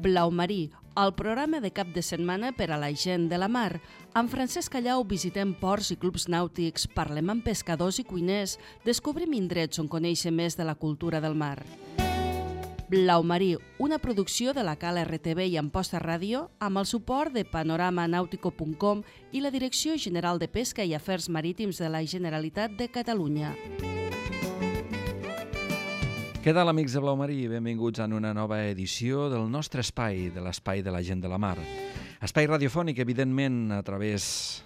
Blau Marí, el programa de cap de setmana per a la gent de la mar. Amb Francesc Callau visitem ports i clubs nàutics, parlem amb pescadors i cuiners, descobrim indrets on conèixer més de la cultura del mar. Blau Marí, una producció de la Cala RTV i Amposta Ràdio amb el suport de panoramanautico.com i la Direcció General de Pesca i Afers Marítims de la Generalitat de Catalunya. Què tal, amics de Blau Marí? Benvinguts en una nova edició del nostre espai, de l'espai de la gent de la mar. Espai radiofònic, evidentment, a través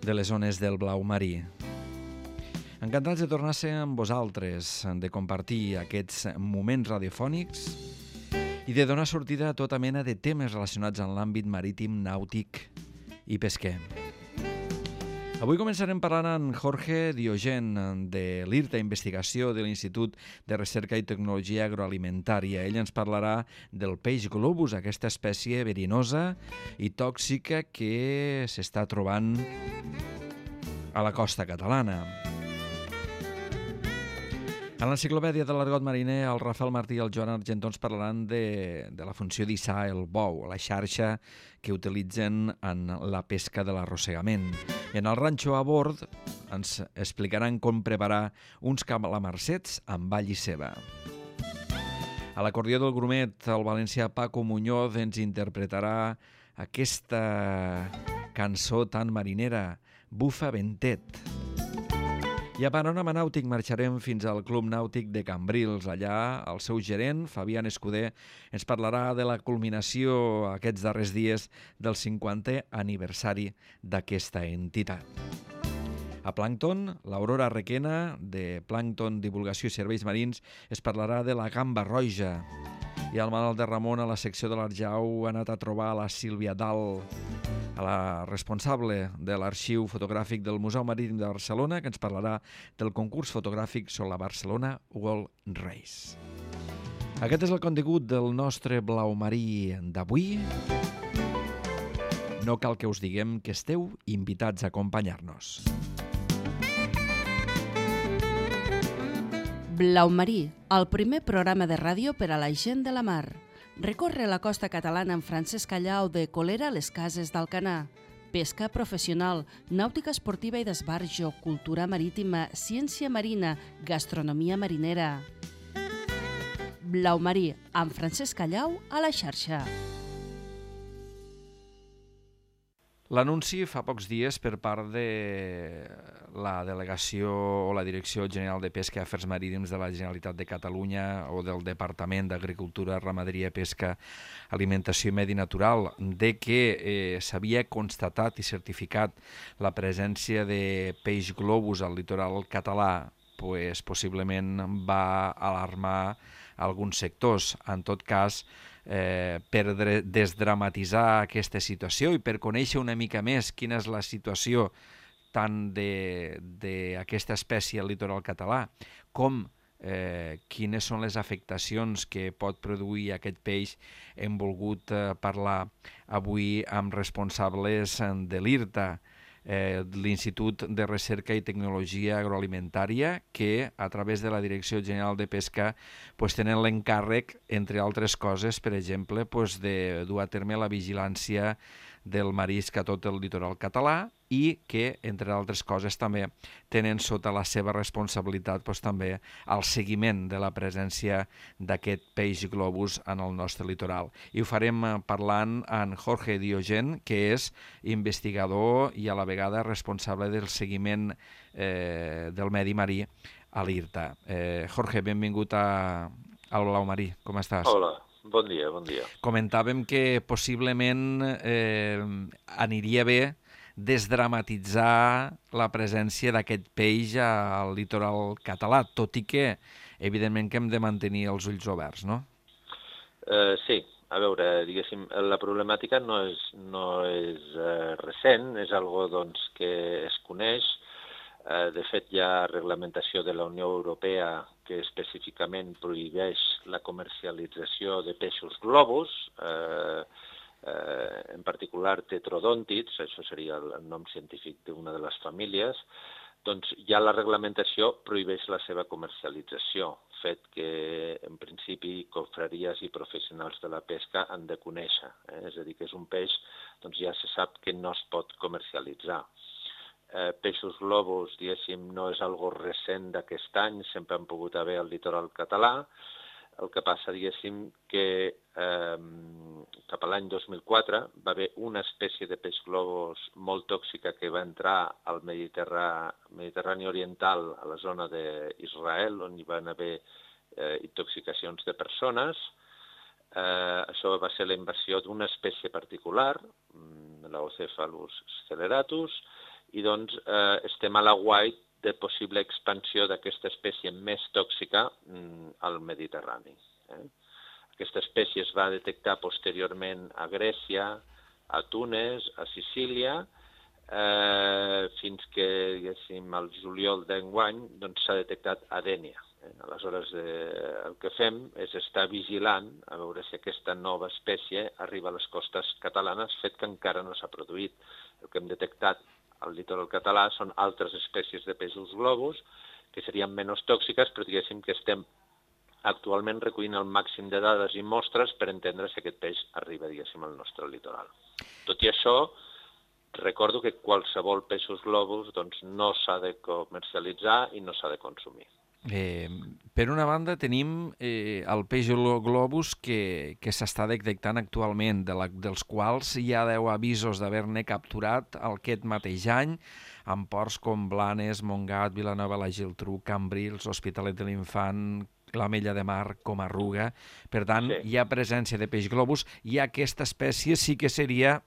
de les zones del Blau Marí. Encantats de tornar a ser amb vosaltres, de compartir aquests moments radiofònics i de donar sortida a tota mena de temes relacionats amb l'àmbit marítim, nàutic i pesquer. Avui començarem parlant amb Jorge Diogen, de l'IRTA Investigació de l'Institut de Recerca i Tecnologia Agroalimentària. Ell ens parlarà del peix globus, aquesta espècie verinosa i tòxica que s'està trobant a la costa catalana. En l'enciclopèdia de l'argot mariner, el Rafael Martí i el Joan Argentó ens parlaran de la funció d'hissar el bou, la xarxa que utilitzen en la pesca de l'arrossegament. I en el ranxo a bord ens explicaran com preparar uns calamarsets amb all i ceba. A l'acordió del grumet, el valencià Paco Muñoz ens interpretarà aquesta cançó tan marinera, Bufa Ventet. I a Panorama Nàutic marxarem fins al Club Nàutic de Cambrils. Allà el seu gerent, Fabián Escudé, ens parlarà de la culminació aquests darrers dies del 50è aniversari d'aquesta entitat. A Plàncton, l'Aurora Requena, de Plàncton Divulgació i Serveis Marins, es parlarà de la gamba roja. I al Manuel de Ramon, a la secció de l'Arjau, ha anat a trobar la Sílvia Dal, a la responsable de l'arxiu fotogràfic del Museu Marítim de Barcelona, que ens parlarà del concurs fotogràfic sobre la Barcelona World Race. Aquest és el contingut del nostre Blau Marí d'avui. No cal que us diguem que esteu invitats a acompanyar-nos. Blau Marí, el primer programa de ràdio per a la gent de la mar. Recorre la costa catalana amb Francesc Callau de Colera a les Cases d'Alcanar. Pesca professional, nàutica esportiva i d'esbarjo, cultura marítima, ciència marina, gastronomia marinera. Blau Marí, amb Francesc Callau a la xarxa. L'anunci fa pocs dies per part de la Delegació o la Direcció General de Pesca i Afers Marítims de la Generalitat de Catalunya o del Departament d'Agricultura, Ramaderia, Pesca, Alimentació i Medi Natural de que s'havia constatat i certificat la presència de peix globus al litoral català, possiblement va alarmar alguns sectors. En tot cas, per desdramatitzar aquesta situació i per conèixer una mica més quina és la situació tant d'aquesta espècie al litoral català com quines són les afectacions que pot produir aquest peix, hem volgut parlar avui amb responsables de l'IRTA, l'Institut de Recerca i Tecnologia Agroalimentària, que a través de la Direcció General de Pesca tenen l'encàrrec, entre altres coses, per exemple, de dur a terme la vigilància del marisc a tot el litoral català i que, entre altres coses, també tenen sota la seva responsabilitat també el seguiment de la presència d'aquest peix globus en el nostre litoral. I ho farem parlant amb Jorge Diogen, que és investigador i a la vegada responsable del seguiment del medi marí a l'IRTA. Jorge, benvingut al Blau Marí. Com estàs? Hola. Bon dia, bon dia. Comentàvem que possiblement aniria bé desdramatitzar la presència d'aquest peix al litoral català, tot i que, evidentment, que hem de mantenir els ulls oberts, no? Sí, a veure, diguéssim, la problemàtica no és recent, és algo doncs, que es coneix. De fet, hi ha reglamentació de la Unió Europea que específicament prohibeix la comercialització de peixos globus, en particular tetrodòntids, això seria el nom científic d'una de les famílies, doncs ja la reglamentació prohibeix la seva comercialització, fet que en principi confraries i professionals de la pesca han de conèixer. És a dir, que és un peix, doncs ja se sap que no es pot comercialitzar. Peixos globus, diguéssim, no és algo recent d'aquest any, sempre han pogut haver al litoral català. El que passa, diguéssim, que cap a l'any 2004 va haver una espècie de peix globus molt tòxica que va entrar al Mediterrani Oriental, a la zona d'Israel, on hi van haver intoxicacions de persones. Això va ser la invasió d'una espècie particular, l'Ocephalus sceleratus, i doncs estem a l'aguait de possible expansió d'aquesta espècie més tòxica al Mediterrani. Aquesta espècie es va detectar posteriorment a Grècia, a Túnez, a Sicília, fins que, diguéssim, al juliol d'enguany s'ha detectat a Dénia. Aleshores, el que fem és estar vigilant a veure si aquesta nova espècie arriba a les costes catalanes, fet que encara no s'ha produït. El que hem detectat al litoral català són altres espècies de peixos globus que serien menys tòxiques, però diguéssim que estem actualment recollint el màxim de dades i mostres per entendre si aquest peix arriba, diguéssim, al nostre litoral. Tot i això, recordo que qualsevol peixos globus no s'ha de comercialitzar i no s'ha de consumir. Per una banda tenim el peix globus que s'està detectant actualment, dels quals hi ha 10 avisos d'haver-ne capturat aquest mateix any, en ports com Blanes, Montgat, Vilanova, la Geltrú, Cambrils, Hospitalet de l'Infant, l'Ametlla de Mar, Comarruga. Per tant, sí, hi ha presència de peix globus i aquesta espècie sí que seria,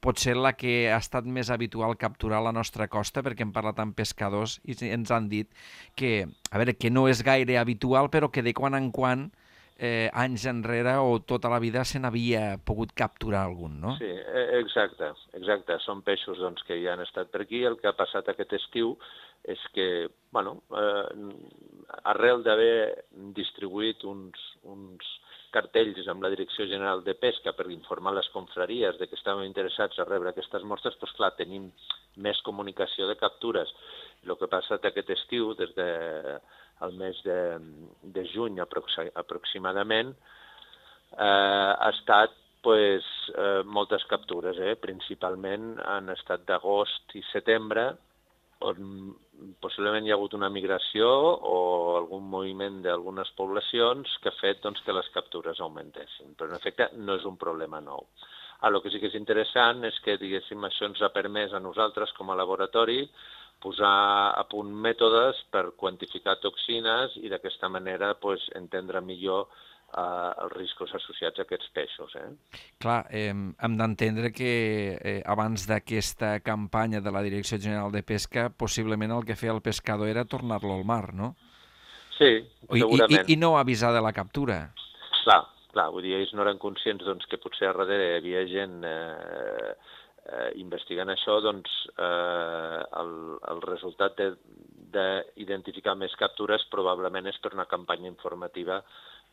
potser la que ha estat més habitual capturar a la nostra costa, perquè hem parlat amb pescadors i ens han dit que no és gaire habitual, però que de quan en quan, anys enrere o tota la vida se n'havia pogut capturar algun, no? Sí, exacte. Són peixos que ja han estat per aquí. El que ha passat aquest estiu és que, arrel d'haver distribuït uns cartells amb la Direcció General de Pesca per informar les confraries de que estàvem interessats a rebre aquestes mostres, doncs clar, tenim més comunicació de captures. El que ha passat aquest estiu, des del mes de juny aproximadament, ha estat moltes captures. Principalment han estat d'agost i setembre, on possiblement hi ha hagut una migració o algun moviment d'algunes poblacions que ha fet que les captures augmentessin. Però, en efecte, no és un problema nou. El que sí que és interessant és que, diguéssim, això ens ha permès a nosaltres, com a laboratori, posar a punt mètodes per quantificar toxines i d'aquesta manera entendre millor els riscos associats a aquests peixos. Clar, hem d'entendre que abans d'aquesta campanya de la Direcció General de Pesca, possiblement el que feia el pescador era tornar-lo al mar, no? Sí, segurament. I no avisar de la captura. Clar, vull dir, ells no eren conscients que potser a darrere hi havia gent investigant això, el resultat d'identificar més captures probablement és per una campanya informativa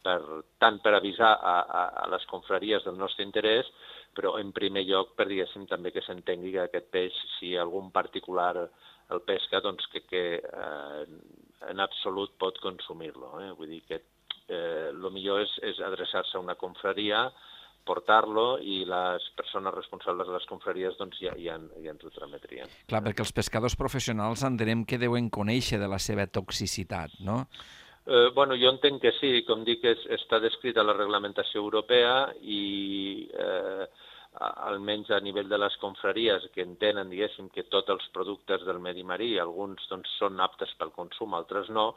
tant per avisar a les confraries del nostre interès, però en primer lloc per, diguéssim, també que s'entengui que aquest peix, si algun particular el pesca, que en absolut pot consumir-lo. Vull dir que el millor és adreçar-se a una confraria, portar-lo i les persones responsables de les confraries ja ens ho trametrien. Clar, perquè els pescadors professionals entenem que deuen conèixer de la seva toxicitat, no? Jo entenc que sí, com dic, està descrita a la reglamentació europea i almenys a nivell de les confraries que entenen, diguéssim, que tots els productes del medi marí, alguns són aptes pel consum, altres no,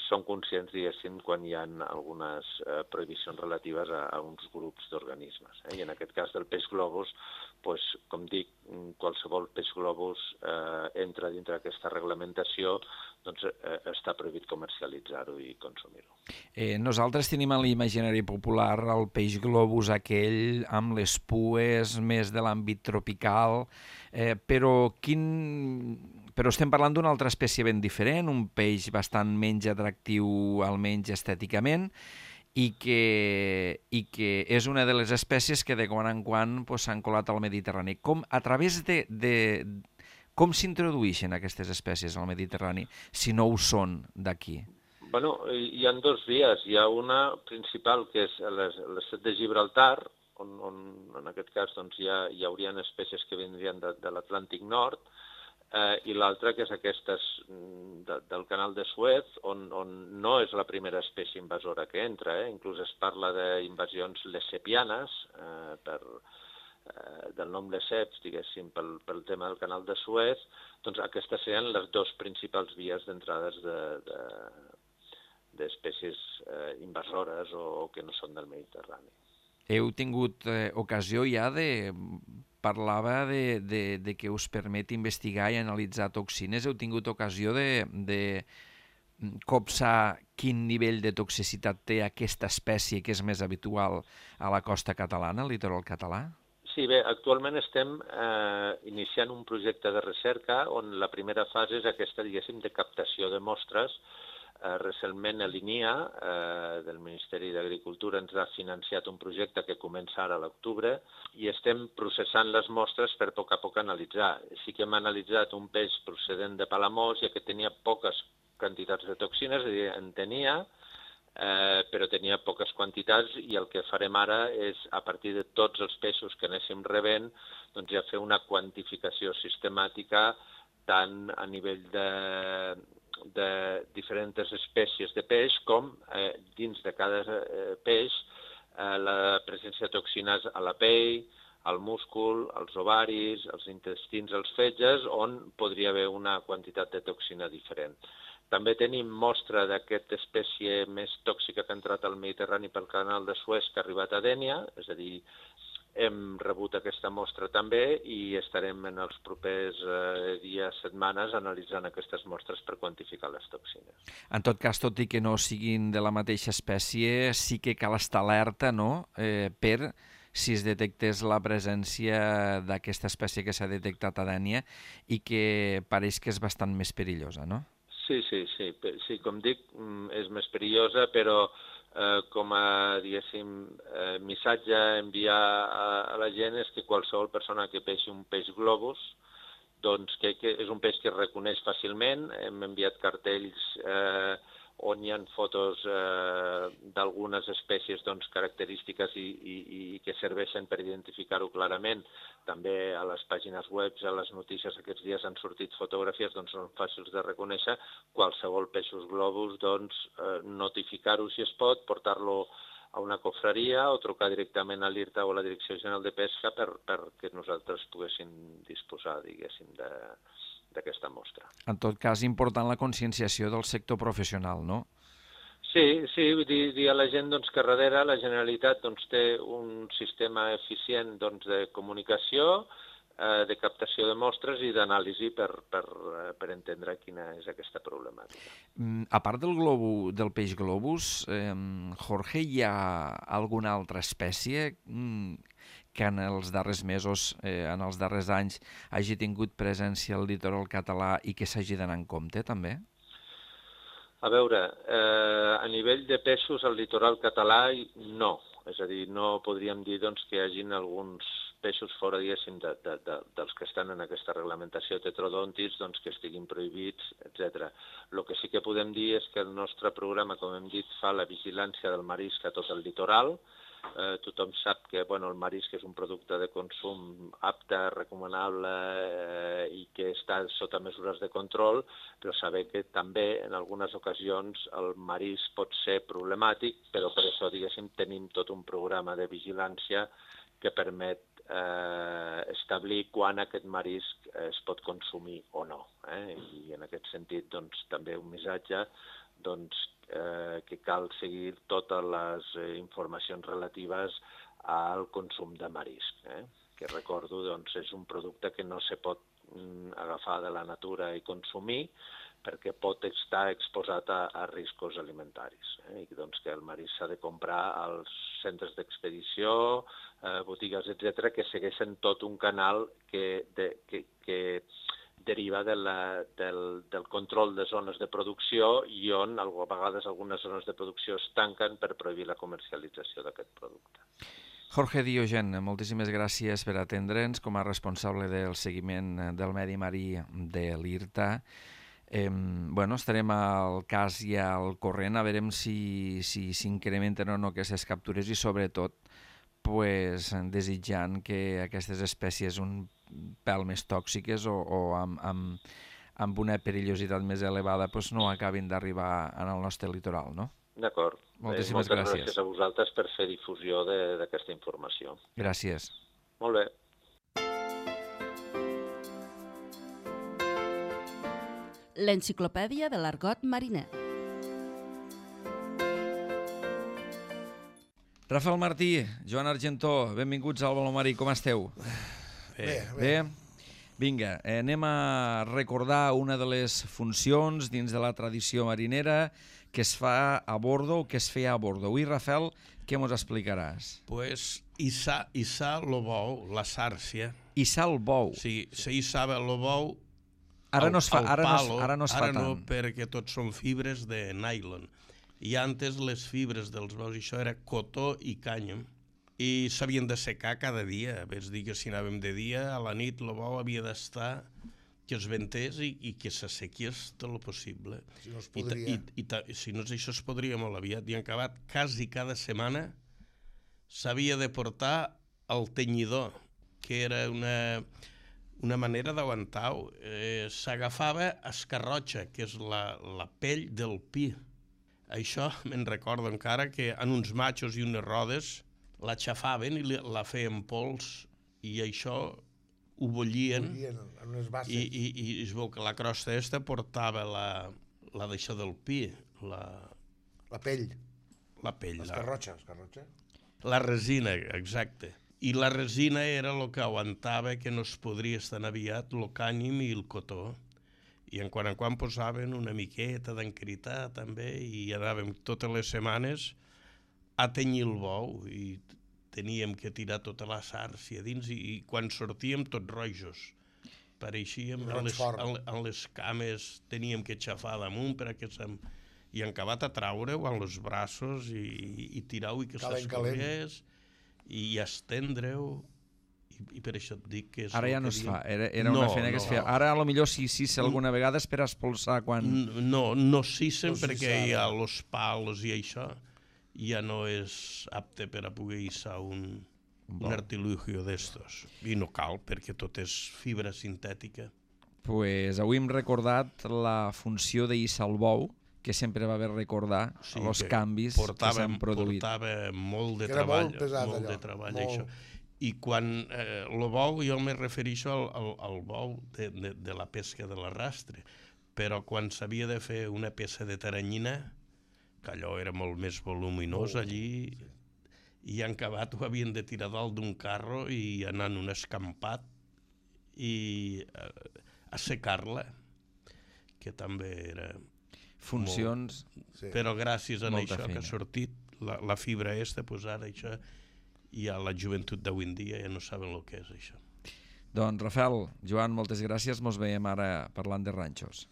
són conscients, diguéssim, quan hi ha algunes prohibicions relatives a uns grups d'organismes. I en aquest cas del peix globus, com dic, qualsevol peix globus entra dintre d'aquesta reglamentació, està prohibit comercialitzar-ho i consumir-ho. Nosaltres tenim a l'imaginari popular el peix globus aquell amb les pues més de l'àmbit tropical, però estem parlant d'una altra espècie ben diferent, un peix bastant menys atractiu almenys estèticament, i que és una de les espècies que de quan en quan s'han colat al Mediterrani. Com a través Com s'introdueixen aquestes espècies al Mediterrani si no ho són d'aquí? Bueno, hi ha dues vies. Hi ha una principal, que és l'estret de Gibraltar, on en aquest cas doncs, hi haurien espècies que vindrien de l'Atlàntic Nord, i l'altra, que és aquestes del canal de Suez, on no és la primera espècie invasora que entra. Inclús es parla d'invasions lessepianes, del nom lesseps, diguéssim, pel tema del canal de Suez. Doncs aquestes serien les dues principals vies d'entrades d'espècies invasores o que no són del Mediterrani. Heu tingut ocasió ja parlava de que us permet investigar i analitzar toxines. Heu tingut ocasió de copsar quin nivell de toxicitat té aquesta espècie que és més habitual a la costa catalana, al litoral català? Sí, bé, actualment estem iniciant un projecte de recerca on la primera fase és aquesta, diguéssim, de captació de mostres. Recentment l'INIA, del Ministeri d'Agricultura, ens ha financiat un projecte que comença ara a l'octubre i estem processant les mostres per a poc analitzar. Sí que hem analitzat un peix procedent de Palamós, ja que tenia poques quantitats de toxines, és a dir, en tenia, però tenia poques quantitats, i el que farem ara és, a partir de tots els peixos que anéssim rebent, doncs ja fer una quantificació sistemàtica tant a nivell de diferents espècies de peix com dins de cada peix la presència de toxines a la pell, al múscul, als ovaris, als intestins, als fetges, on podria haver una quantitat de toxina diferent. També tenim mostra d'aquesta espècie més tòxica que ha entrat al Mediterrani pel canal de Suez, que ha arribat a Dénia, és a dir, hem rebut aquesta mostra també i estarem en els propers dies, setmanes, analitzant aquestes mostres per quantificar les toxines. En tot cas, tot i que no siguin de la mateixa espècie, sí que cal estar alerta, no?, per si es detectés la presència d'aquesta espècie que s'ha detectat a Dénia i que pareix que és bastant més perillosa, no? Sí, com dic, és més perillosa, però com a, diguéssim, missatge a enviar a la gent és que qualsevol persona que peixi un peix globus, doncs que és un peix que es reconeix fàcilment. Hem enviat cartells on hi ha fotos d'algunes espècies doncs, característiques i que serveixen per identificar-ho clarament. També a les pàgines web, a les notícies aquests dies han sortit fotografies, doncs són fàcils de reconèixer. Qualsevol peixos globus, doncs notificar-ho si es pot, portar-lo a una cofreria o trucar directament a l'IRTA o a la Direcció General de Pesca perquè nosaltres poguéssim disposar, diguéssim, d'aquesta mostra. En tot cas, important la conscienciació del sector professional, no? Sí, vull dir a la gent doncs, que darrere la Generalitat doncs, té un sistema eficient doncs, de comunicació, de captació de mostres i d'anàlisi per entendre quina és aquesta problemàtica. A part del peix globus, Jorge, hi ha alguna altra espècie que en els darrers mesos, en els darrers anys, hagi tingut presència al litoral català i que s'hagi d'anar en compte, també? A veure, a nivell de peixos al litoral català, no. És a dir, no podríem dir doncs, que hi hagin alguns peixos fora, diguéssim, dels que estan en aquesta reglamentació tetrodòntids, doncs, que estiguin prohibits, etc. El que sí que podem dir és que el nostre programa, com hem dit, fa la vigilància del marisc a tot el litoral. Tothom sap que el marisc és un producte de consum apte, recomanable i que està sota mesures de control, però saber que també en algunes ocasions el marisc pot ser problemàtic, però per això, diguéssim, tenim tot un programa de vigilància que permet establir quan aquest marisc es pot consumir o no. I en aquest sentit, doncs, també un missatge que cal seguir totes les informacions relatives al consum de marisc, que recordo és un producte que no se pot agafar de la natura i consumir perquè pot estar exposat a riscos alimentaris. I que el marisc s'ha de comprar als centres d'expedició, botigues, etc., que segueixen tot un canal que deriva del control de zones de producció i on a vegades algunes zones de producció es tanquen per prohibir la comercialització d'aquest producte. Jorge Diogen, moltíssimes gràcies per atendre'ns com a responsable del seguiment del medi marí de l'IRTA. Estarem al cas i al corrent, a veure si s'incrementen o no aquestes captures i sobretot desitjant que aquestes espècies un pèl més tòxiques o amb una perillositat més elevada no acabin d'arribar al nostre litoral, no? D'acord. Moltíssimes moltes gràcies. Gràcies a vosaltres per fer difusió d'aquesta informació. Gràcies. Molt bé. L'enciclopèdia de l'argot mariner. Rafael Martí, Joan Argentó, benvinguts al Baló Marí, com esteu? Bé. Vinga, anem a recordar una de les funcions dins de la tradició marinera que es fa a bordo o que es feia a bordo. Avui, Rafael, què ens explicaràs? Pues hissar el bou, la sàrcia. Hissar el bou. Sí, se hissava el bou Ara no es fa Ara tant. no, perquè tots són fibres de nylon. I antes les fibres dels bous, això era cotó i cànem, i s'havien de secar cada dia. És dir, que si anàvem de dia, a la nit el bou havia d'estar que es ventés i que s'assequies tot el possible. Si no es podria. Si no, això es podria molt aviat. I en acabat, quasi cada setmana s'havia de portar el tenyidor, que era una manera d'aguantar-ho. S'agafava escarrotxa, que és la pell del pi. Això me'n recordo encara, que en uns matxos i unes rodes la xafaven i la feien pols, i això ho bullien en unes basses. i es veu que la crosta aquesta portava la d'això del pi, La pell. la pell, Escarrotxa. la resina, exacte. I la resina era el que aguantava que no es podria estar aviat el cànim i el cotó. I en quan posaven una miqueta d'encritar també, i anàvem totes les setmanes a tenyir el bou, i teníem que tirar tota la sàrcia dins, i quan sortíem tots rojos. Pareixíem, en les cames teníem que xafar damunt i en acabat a traure-ho en els braços i tirar-ho i que s'escorregués i estendre-ho. I per això et dic que és... Ara ja no es fa, era una feina que es feia. Ara potser si s'issa alguna vegada és per espolsar quan... No s'issen perquè hi ha els pals i això ja no és apte per a poder hissar un artilugio d'estos. I no cal, perquè tot és fibra sintètica. Pues avui hem recordat la funció de hissar el bou, que sempre va haver recordar els canvis que s'han produït. Portava molt de treball, molt pesat, molt de treball, això. I quan el bou, jo me refereixo al bou de la pesca de l'arrastre, però quan s'havia de fer una peça de taranyina, que allò era molt més voluminós allí, i en acabat ho havien de tirar dalt d'un carro i anar en un escampat i assecar-la, que també era... Funcions... Però gràcies a això que ha sortit la fibra aquesta, doncs ara això... I a la joventut d'avui en dia ja no saben el que és això. Doncs, Rafael, Joan, moltes gràcies. Mos veiem ara parlant de ranxos.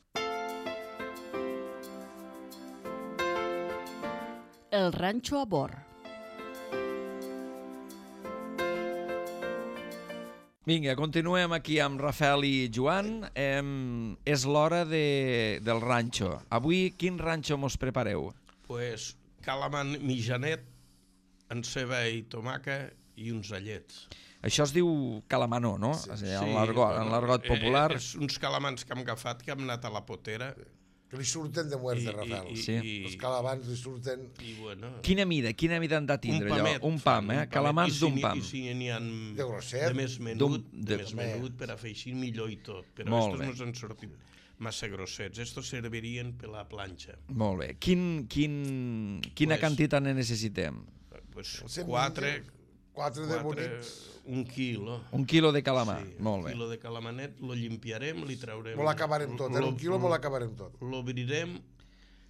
El ranxo a bord. Vinga, continuem aquí amb Rafael i Joan. És l'hora del ranxo. Avui, quin ranxo mos prepareu? Pues calamar mitjanet, en ceba i tomaca i uns allets. Això es diu calamanó, no? Sí, en l'argot popular. És uns calamans que hem agafat, que hem anat a la potera. Que li surten de muerte, Rafael. Sí. Els calamans li surten... Quina mida han de tindre allò? Un pam, calamans d'un pam. I si n'hi ha de grosset, de més menut per a fer així millor i tot. Però estos no s'han sortit massa grossets. Estos servirien per la planxa. Molt bé. Quina quantitat ne necessitem? Quatre de bonics. Un quilo. Un quilo de calamar, molt bé. Un quilo de calamanet, lo llimpiarem, li traurem... Molt acabarem tot, en un quilo molt acabarem tot. L'obrirem...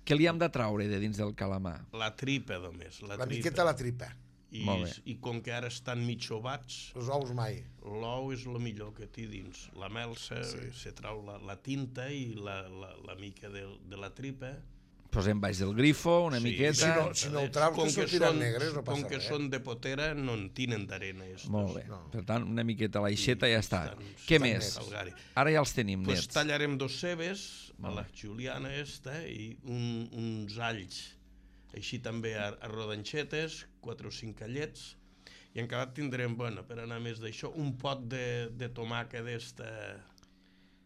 Què li hem de traure de dins del calamar? La tripa, només. La miqueta la tripa. I com que ara estan mig ovats... Els ous mai. L'ou és el millor que té dins. La melsa, se trau la tinta i la mica de la tripa. Posem baix del grifo, una miqueta... Si no ho traus, que sortiran negres, no passa res. Com que són de potera, no en tenen d'arena. Molt bé. Per tant, una miqueta a l'aixeta i ja està. Què més? Ara ja els tenim nets. Tallarem 2 cebes, a la juliana i uns alls, així també a rodanxetes, 4 o 5 callets, i encara tindrem, per anar més d'això, un pot de tomàquet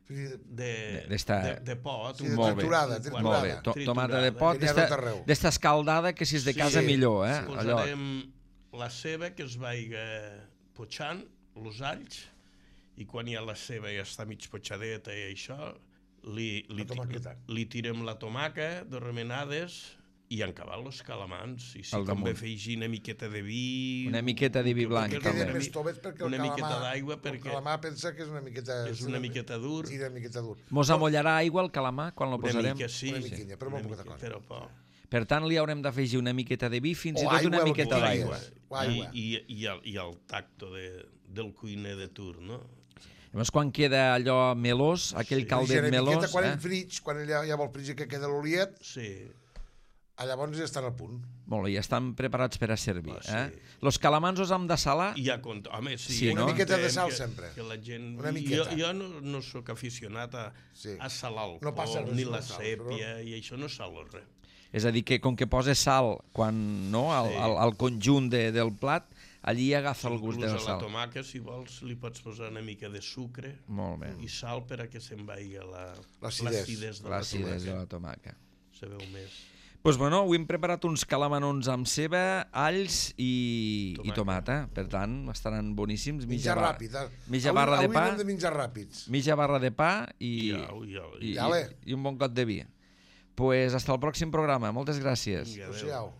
de pot. Triturada. Molt bé, tomata de pot, d'esta escaldada que si és de casa millor. Posarem la ceba que es vaiga potxant, els alls, i quan ja la ceba ja està mig potxadeta i això, li tirem la tomaca de remenades i en cabal els calamans. I si convé afegir una miqueta de vi... Una miqueta de vi blanc. Queden més toves perquè una miqueta d'aigua, perquè el calamar pensa que és una miqueta... És una miqueta dur. Sí, una miqueta dur. Mos amollarà aigua el calamar quan lo posarem? Una mica, sí. Una miquilla, però molt poca cosa. Però poc. Per tant, li haurem d'afegir una miqueta de vi, fins i tot una miqueta d'aigua. I el tacto del cuiner de tur, no? Llavors, quan queda allò melós, aquell caldet melós... Quan el frig, quan ja vol fregir que queda l'oliet, llavors ja estan al punt. Molt bé, ja estan preparats per a servir. Los calamans els hem de salar? Home, sí. Una miqueta de sal sempre. Jo no sóc aficionat a salar alcohol, ni la sèpia, i això no salo res. És a dir, que com que posa sal al conjunt del plat, allí agafa el gust de la sal. A la tomaca, si vols, li pots posar una mica de sucre i sal per a que se'n vagi l'acidesa de la tomaca. Se veu més. Doncs bueno, avui hem preparat uns calamanons amb ceba, alls i tomata. Per tant, estaran boníssims. Mitja ràpid. Mitja barra de pa. Avui hem de menjar ràpids. Mitja barra de pa i un bon got de vi. Pues hasta el pròxim programa. Moltes gràcies. Adéu.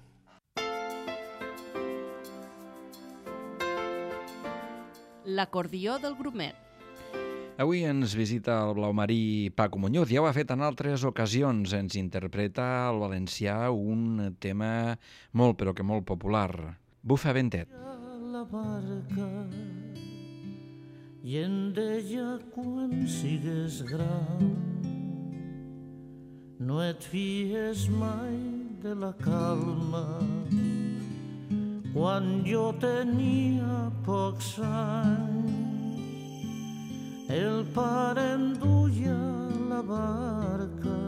L'acordió del grumet. Avui ens visita el blaumarí Paco Muñoz. Ja ho ha fet en altres ocasions. Ens interpreta al valencià un tema molt, però que molt popular. Bufa ventet. La barca i en deia quan sigues gran no et fies mai de la calma. Quan jo tenia pocs anys el pare em duia la barca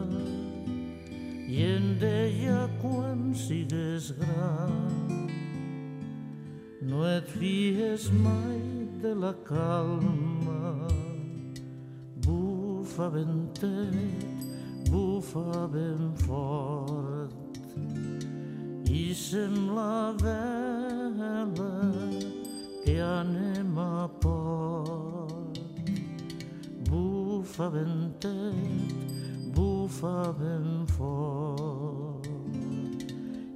i em deia quan sigues gran no et fies mai de la calma. Bufa ventet, bufa ben fort i sembla vela que anem a port. Bufa ventet, bufa ben fort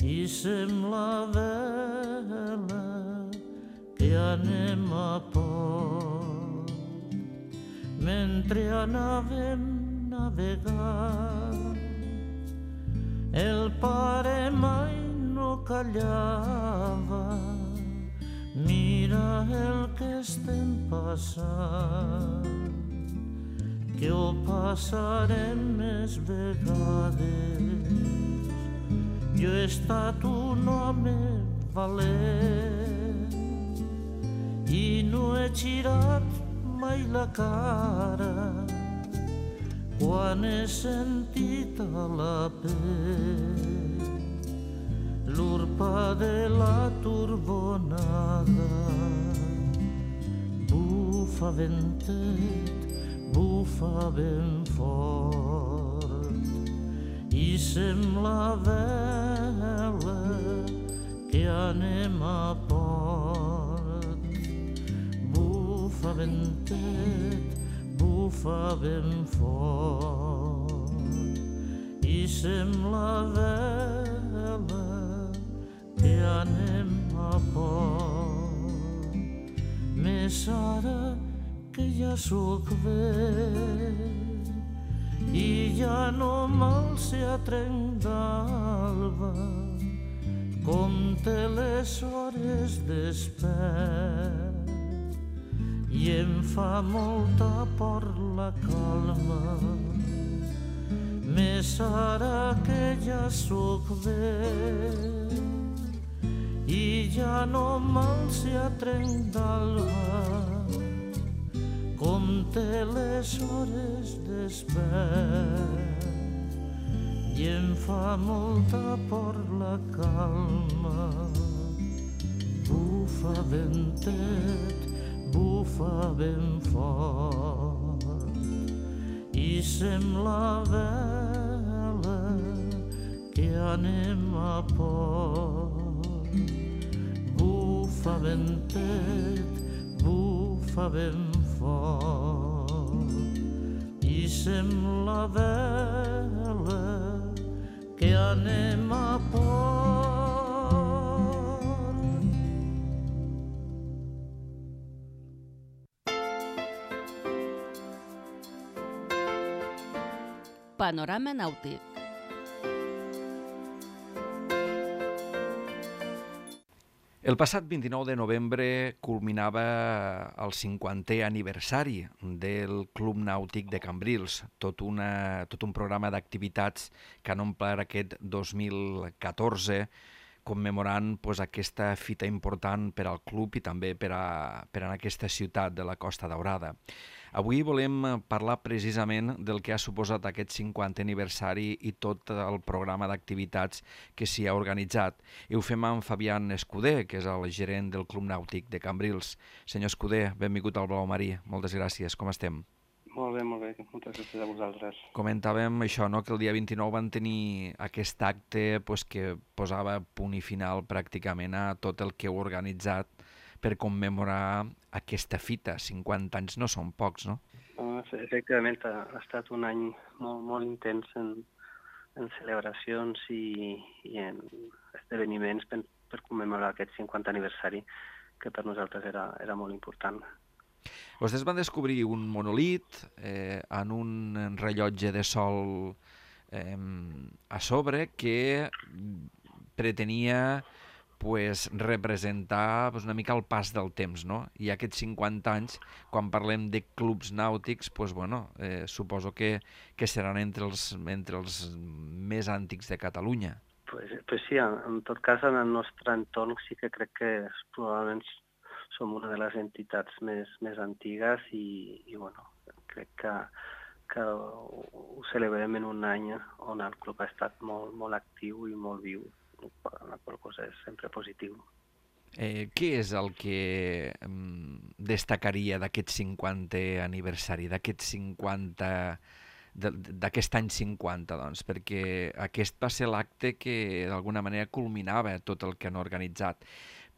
i sembla vela que anem a port. Mentre anàvem navegant el pare mai no callava. Mira el que estem passant, que ho passarem més vegades. Jo he estat un home valent i no he girat mai la cara quan he sentit a la pell l'urpa de la turbonada. Bufa ventet, bufa ben fort i sembla vela que anem a port. Bufa ventet, bufa ben fort i sembla vela que anem a port. Més ara que ja sóc vell i ja no m'alce a trenc d'alba, compte les hores despert i em fa molta por la calma. més ara que ja sóc vell i ja no m'alça a trenc d'alba, compte les hores despert i em fa molta por la calma. Bufa ventet, bufa ben fort i sembla vela que anem a port. Bufa ventet, bufa ben fort i sembla vela que anem a port. Panorama nàutic. El passat 29 de novembre culminava el 50è aniversari del Club Nàutic de Cambrils, tot un programa d'activitats que han omplert aquest 2014, commemorant aquesta fita important per al club i també per a aquesta ciutat de la Costa Daurada. Avui volem parlar precisament del que ha suposat aquest 50è aniversari i tot el programa d'activitats que s'hi ha organitzat. I ho fem amb Fabián Escudé, que és el gerent del Club Nàutic de Cambrils. Senyor Escudé, benvingut al Blau Marí. Moltes gràcies. Com estem? Molt bé, molt bé. Moltes gràcies a vosaltres. Comentàvem això, no?, que el dia 29 van tenir aquest acte que posava punt i final pràcticament a tot el que heu organitzat per commemorar aquesta fita. 50 anys no són pocs, no? Efectivament, ha estat un any molt, molt intens en celebracions i en esdeveniments per commemorar aquest 50 aniversari, que per nosaltres era molt important. Vostès van descobrir un monolit en un rellotge de sol a sobre que pretenia representar una mica el pas del temps, no? I aquests 50 anys, quan parlem de clubs nàutics, suposo que seran entre els més antics de Catalunya. Pues sí, en tot cas, en el nostre entorn sí que crec que probablement som una de les entitats més antigues i crec que ho celebrem en un any on el club ha estat molt, molt actiu i molt viu, la qual cosa és sempre positiu. Què és el que destacaria d'aquest 50è aniversari, d'aquest any 50, doncs? Perquè aquest va ser l'acte que d'alguna manera culminava tot el que han organitzat.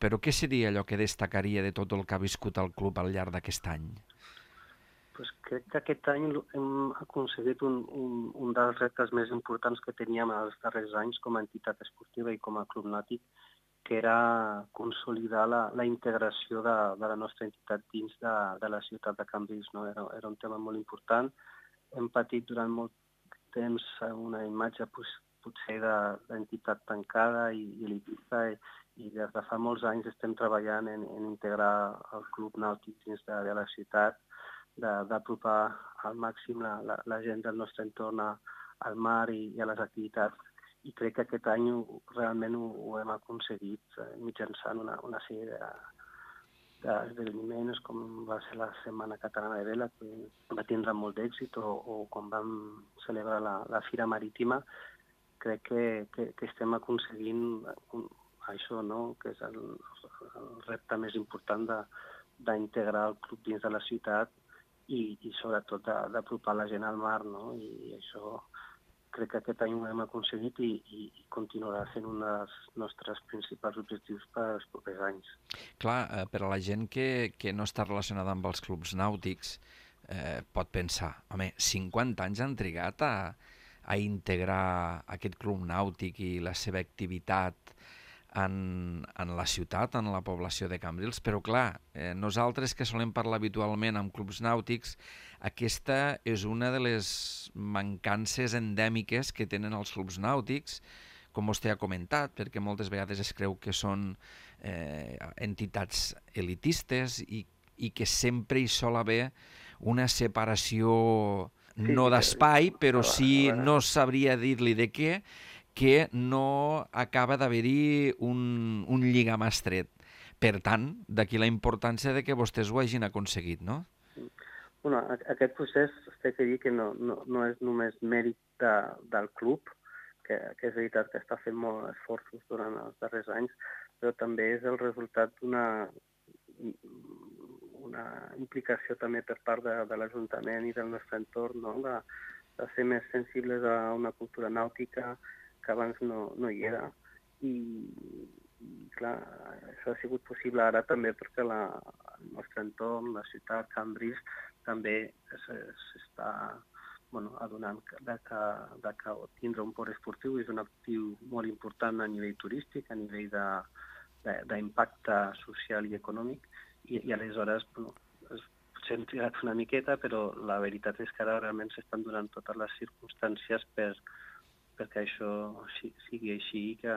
Però què seria allò que destacaria de tot el que ha viscut el club al llarg d'aquest any? Pues crec que aquest any hem aconseguit un dels reptes més importants que teníem els darrers anys com a entitat esportiva i com a club nàutic, que era consolidar la integració de la nostra entitat dins de la ciutat de Cambrils. No? Era un tema molt important. Hem patit durant molt temps una imatge potser d'entitat tancada i elitista i des de fa molts anys estem treballant en integrar el club nàutic dins de la ciutat, d'apropar al màxim la gent del nostre entorn al mar i a les activitats. I crec que aquest any realment ho hem aconseguit mitjançant una sèrie d'esdeveniments, com va ser la Setmana Catalana de Vela, que va tindre molt d'èxit, o quan vam celebrar la Fira Marítima. Crec que estem aconseguint això, no? Que és el repte més important d'integrar el club dins de la ciutat i sobretot d'apropar la gent al mar, no? I això crec que aquest any ho hem aconseguit i continuarà sent un dels nostres principals objectius per als propers anys. Clar, per a la gent que no està relacionada amb els clubs nàutics pot pensar, home, 50 anys han trigat a integrar aquest club nàutic i la seva activitat en la ciutat, en la població de Cambrils, però clar, nosaltres que solem parlar habitualment amb clubs nàutics, aquesta és una de les mancances endèmiques que tenen els clubs nàutics, com vostè ha comentat, perquè moltes vegades es creu que són entitats elitistes i que sempre hi sol haver una separació no d'espai, però sí, no sabria dir-li de què, que no acaba d'haver-hi un lligam estret. Per tant, d'aquí la importància de que vostès ho hagin aconseguit, no? Bueno, aquest procés, té que dir que no és només mèrit del club, que és veritat que està fent molts esforços durant els darrers anys, però també és el resultat d'una implicació també per part de l'Ajuntament i del nostre entorn, no? de ser més sensibles a una cultura nàutica que abans no hi era. I clar, això ha sigut possible ara també perquè el nostre entorn, la ciutat, Cambrils, també s'està adonant que tindre un port esportiu és un actiu molt important a nivell turístic, a nivell d'impacte social i econòmic, i aleshores potser hem trigat una miqueta, però la veritat és que ara realment s'estan donant totes les circumstàncies perquè això sigui així i que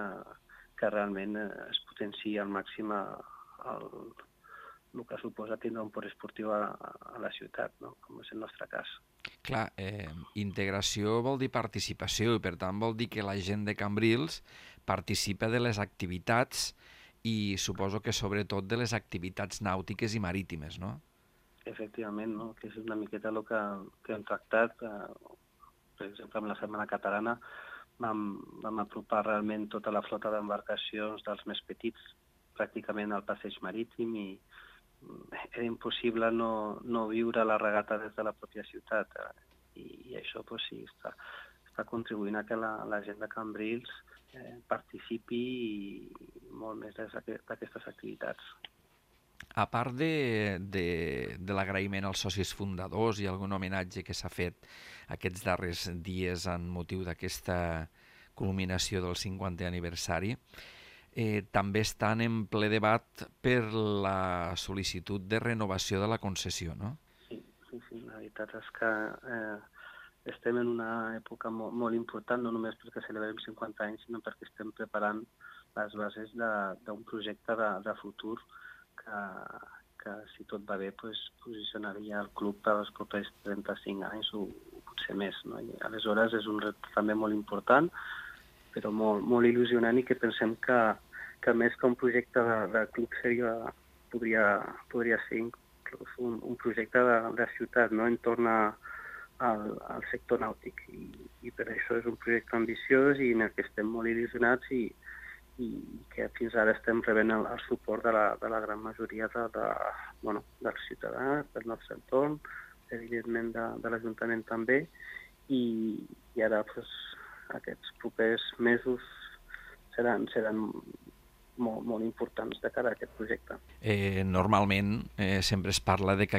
realment es potenciï al màxim el que suposa tindre un port esportiu a la ciutat, no? Com és el nostre cas. Clar, integració vol dir participació i per tant vol dir que la gent de Cambrils participa de les activitats i suposo que sobretot de les activitats nàutiques i marítimes, no? Efectivament, no? Que és una miqueta el que hem tractat. Per exemple, amb la Setmana Catalana vam apropar realment tota la flota d'embarcacions dels més petits pràcticament al passeig marítim i era impossible no viure la regata des de la pròpia ciutat. I això sí, està contribuint a que la gent de Cambrils participi molt més d'aquestes activitats. A part de l'agraïment als socis fundadors i algun homenatge que s'ha fet aquests darrers dies en motiu d'aquesta culminació del 50è aniversari, també estan en ple debat per la sol·licitud de renovació de la concessió, no? Sí, la veritat és que estem en una època molt important, no només perquè celebrem 50 anys, sinó perquè estem preparant les bases d'un projecte de futur que si tot va bé, posicionaria el club per als propers 35 anys o potser més, no? I aleshores és un repte també molt important, però molt il·lusionant i que pensem que més que un projecte de club podria ser inclús un projecte de ciutat, no? En torn al sector nàutic. I per això és un projecte ambiciós i en el que estem molt il·lusionats i que fins ara estem rebent el suport de la gran majoria dels ciutadans, del nostre entorn, evidentment de l'Ajuntament també, i ara aquests propers mesos seran molt importants de cara a aquest projecte. Normalment sempre es parla de que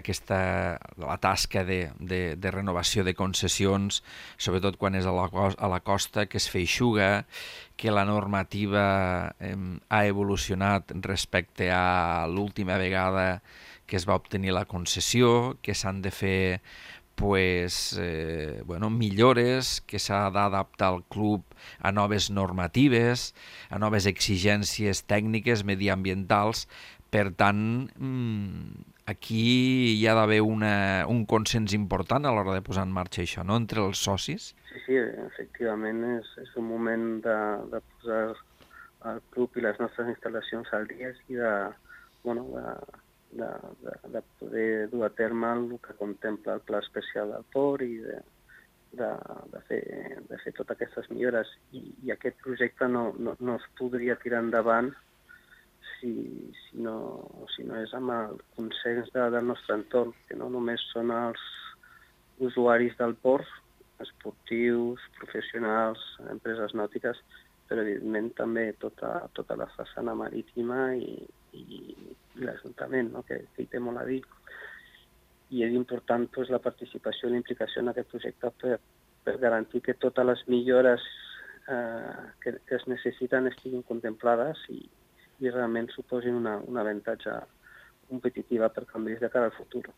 la tasca de renovació de concessions, sobretot quan és a la costa, que es feixuga, que la normativa ha evolucionat respecte a l'última vegada que es va obtenir la concessió, que s'han de fer millores, que s'ha d'adaptar el club a noves normatives, a noves exigències tècniques, mediambientals. Per tant, aquí hi ha d'haver un consens important a l'hora de posar en marxa això, no?, entre els socis. Sí, efectivament, és un moment de posar el club i les nostres instal·lacions al dia i de poder dur a terme el que contempla el pla especial del port i de fer totes aquestes millores. I aquest projecte no es podria tirar endavant si no és amb el consens del nostre entorn, que no només són els usuaris del port, esportius, professionals, empreses nàutiques, però evidentment també tota la façana marítima i l'Ajuntament, no? que hi té molt a dir. I és important la participació i la implicació en aquest projecte per garantir que totes les millores que es necessiten estiguin contemplades i realment suposin un avantatge competitiva per Cambrils de cara al futur.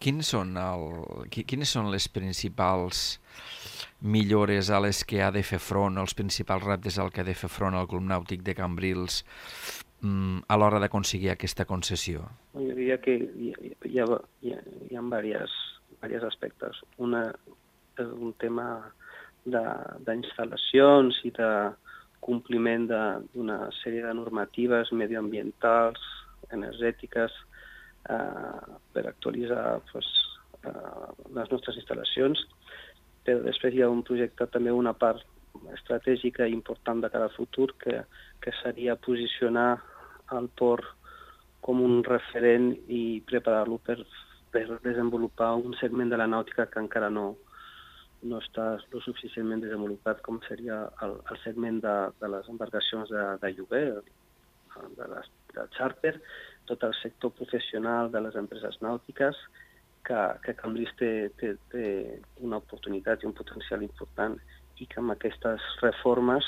Quines són les principals millores a les que ha de fer front, els principals reptes al que ha de fer front el Club Nàutic de Cambrils a l'hora d'aconseguir aquesta concessió? Jo diria que hi ha diversos aspectes. un tema d'instal·lacions i de compliment d'una sèrie de normatives medioambientals, energètiques, per actualitzar les nostres instal·lacions. Però després hi ha un projecte, també una part estratègica important de cara al futur, que seria posicionar el port com un referent i preparar-lo per desenvolupar un segment de la nàutica que encara no està lo suficientment desenvolupat, com seria el segment de les embarcacions de lloguer, de charter, tot el sector professional de les empreses nàutiques, que Cambrils té una oportunitat i un potencial important i que amb aquestes reformes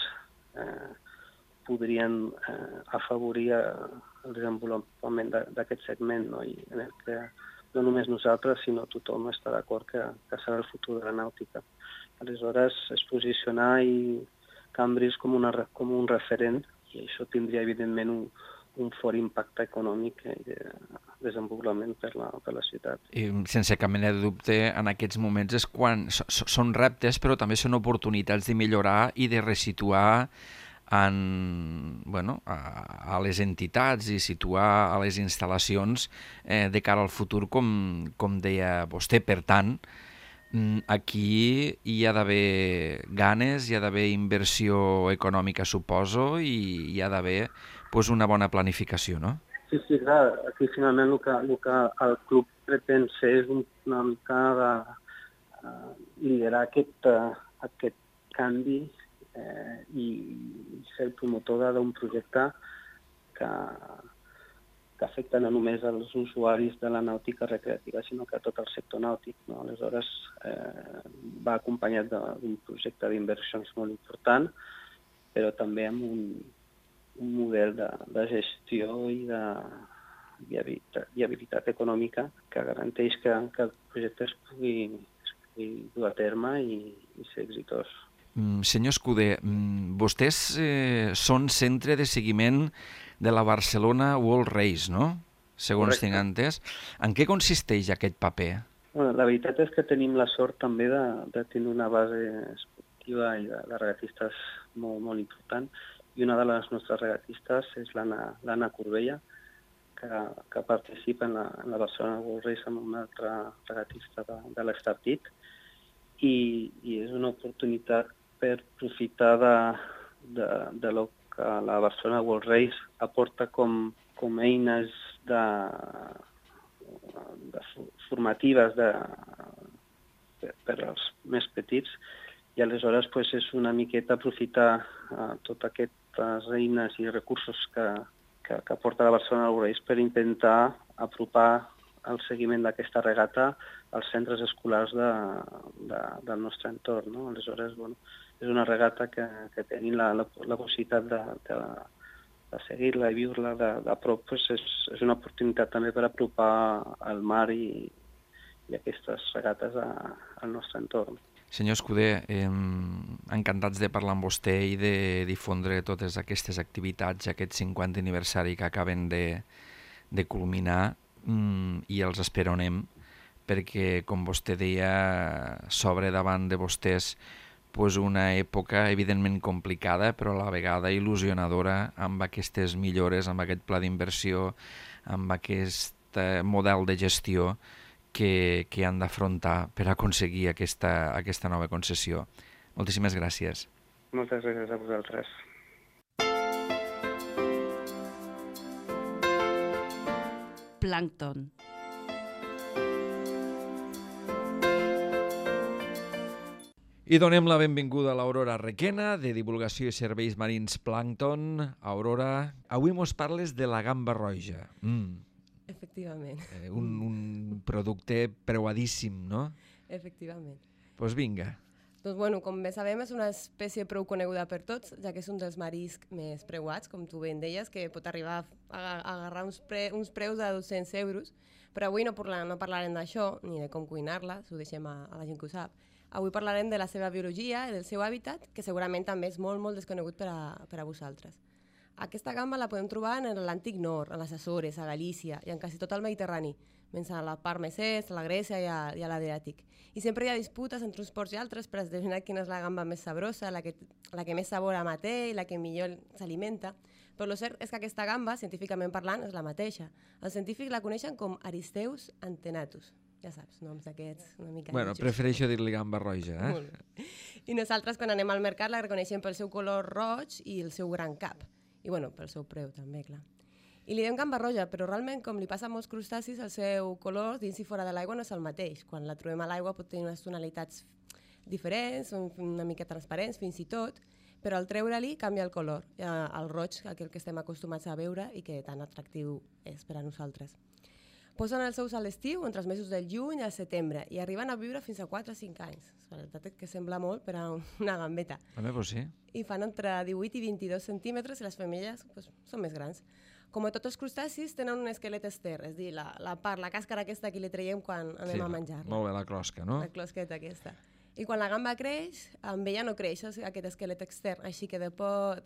podrien afavorir el desenvolupament d'aquest segment, no? I en el que no només nosaltres, sinó tothom està d'acord que serà el futur de la nàutica. Aleshores, es posicionar Cambrils com un referent, i això tindria, evidentment, un fort impacte econòmic i de desenvolupament per la ciutat. I sense cap mena de dubte, en aquests moments és quan són reptes, però també són oportunitats de millorar i de resituar a les entitats i situar a les instal·lacions de cara al futur, com deia vostè. Per tant, aquí hi ha d'haver ganes, hi ha d'haver inversió econòmica, suposo, i hi ha d'haver una bona planificació, no? Sí, clar. Aquí finalment el que el club pretén ser és una mica de liderar aquest canvi i ser el promotor d'un projecte que afecta no només els usuaris de la nàutica recreativa, sinó que tot el sector nàutic, no? Aleshores, va acompanyat d'un projecte d'inversions molt important, però també amb un model de gestió i de viabilitat econòmica que garanteix que el projecte es pugui dur a terme i ser exitós. Senyor Escuder, vostès són centre de seguiment de la Barcelona World Race, no? Segons tinc entès. En què consisteix aquest paper? La veritat és que tenim la sort també de tenir una base esportiva i de regatistes molt important. I una de les nostres regatistes és l'Anna Corbella, que participa en la Barcelona World Race amb una altra regatista de l'Estartit. I és una oportunitat per aprofitar de lo que la Barcelona World Race aporta com eines formatives per als més petits, i aleshores és una miqueta aprofitar totes aquestes eines i recursos que aporta la Barcelona World Race per intentar apropar el seguiment d'aquesta regata als centres escolars del nostre entorn, no? Aleshores, és una regata que tenim la possibilitat de seguir-la i viure-la de prop. És una oportunitat també per apropar el mar i aquestes regates al nostre entorn. Senyor Escuder, encantats de parlar amb vostè i de difondre totes aquestes activitats, aquest 50 aniversari que acaben de culminar, i els esperonem perquè, com vostè deia, s'obre davant de vostès una època evidentment complicada, però a la vegada il·lusionadora, amb aquestes millores, amb aquest pla d'inversió, amb aquest model de gestió que han d'afrontar per aconseguir aquesta nova concessió. Moltíssimes gràcies. Moltes gràcies a vosaltres. Plàncton. I donem la benvinguda a l'Aurora Requena, de Divulgació i Serveis Marins Plàncton. Aurora, avui mos parles de la gamba roja. Efectivament. Un producte preuadíssim, no? Efectivament. Doncs vinga. Doncs, bueno, com bé sabem, és una espècie prou coneguda per tots, ja que és un dels mariscs més preuats, com tu ben deies, que pot arribar a agarrar uns preus de 200 euros. Però avui no parlarem d'això, ni de com cuinar-la, s'ho deixem a la gent que ho sap. Avui parlarem de la seva biologia i del seu hàbitat, que segurament també és molt, molt desconegut per a vosaltres. Aquesta gamba la podem trobar en l'antic nord, a les Açores, a Galícia i en quasi tot el Mediterrani, menys a la part més est, a la Grècia i a l'Adriàtic. I sempre hi ha disputes entre uns ports i altres per determinar quina és la gamba més sabrosa, la que més sabor té i la que millor s'alimenta. Però el cert és que aquesta gamba, científicament parlant, és la mateixa. Els científics la coneixen com Aristeus antenatus. Ja saps, noms d'aquests una mica... Bueno, prefereixo dir-li gamba roja, eh? Molt bé. I nosaltres, quan anem al mercat, la reconeixem pel seu color roig i el seu gran cap. I, bueno, pel seu preu, també, clar. I li diem gamba roja, però realment, com li passa a molts crustacis, el seu color dins i fora de l'aigua no és el mateix. Quan la trobem a l'aigua pot tenir unes tonalitats diferents, una mica transparents, fins i tot, però al treure-li canvia el color, el roig, aquell que estem acostumats a veure i que tan atractiu és per a nosaltres. Posen els ous a l'estiu, entre els mesos del juny i al setembre, i arriben a viure fins a 4 o 5 anys. La veritat és que sembla molt per a una gambeta. A mi, pues sí. I fan entre 18 i 22 centímetres i les femelles són més grans. Com a tots els crustacis, tenen un esquelet ester, és a dir, la càscara aquesta que li traiem quan anem a menjar-la. Molt bé, la closca, no? La closqueta aquesta. I quan la gamba creix, amb ella no creix aquest esquelet extern, així que de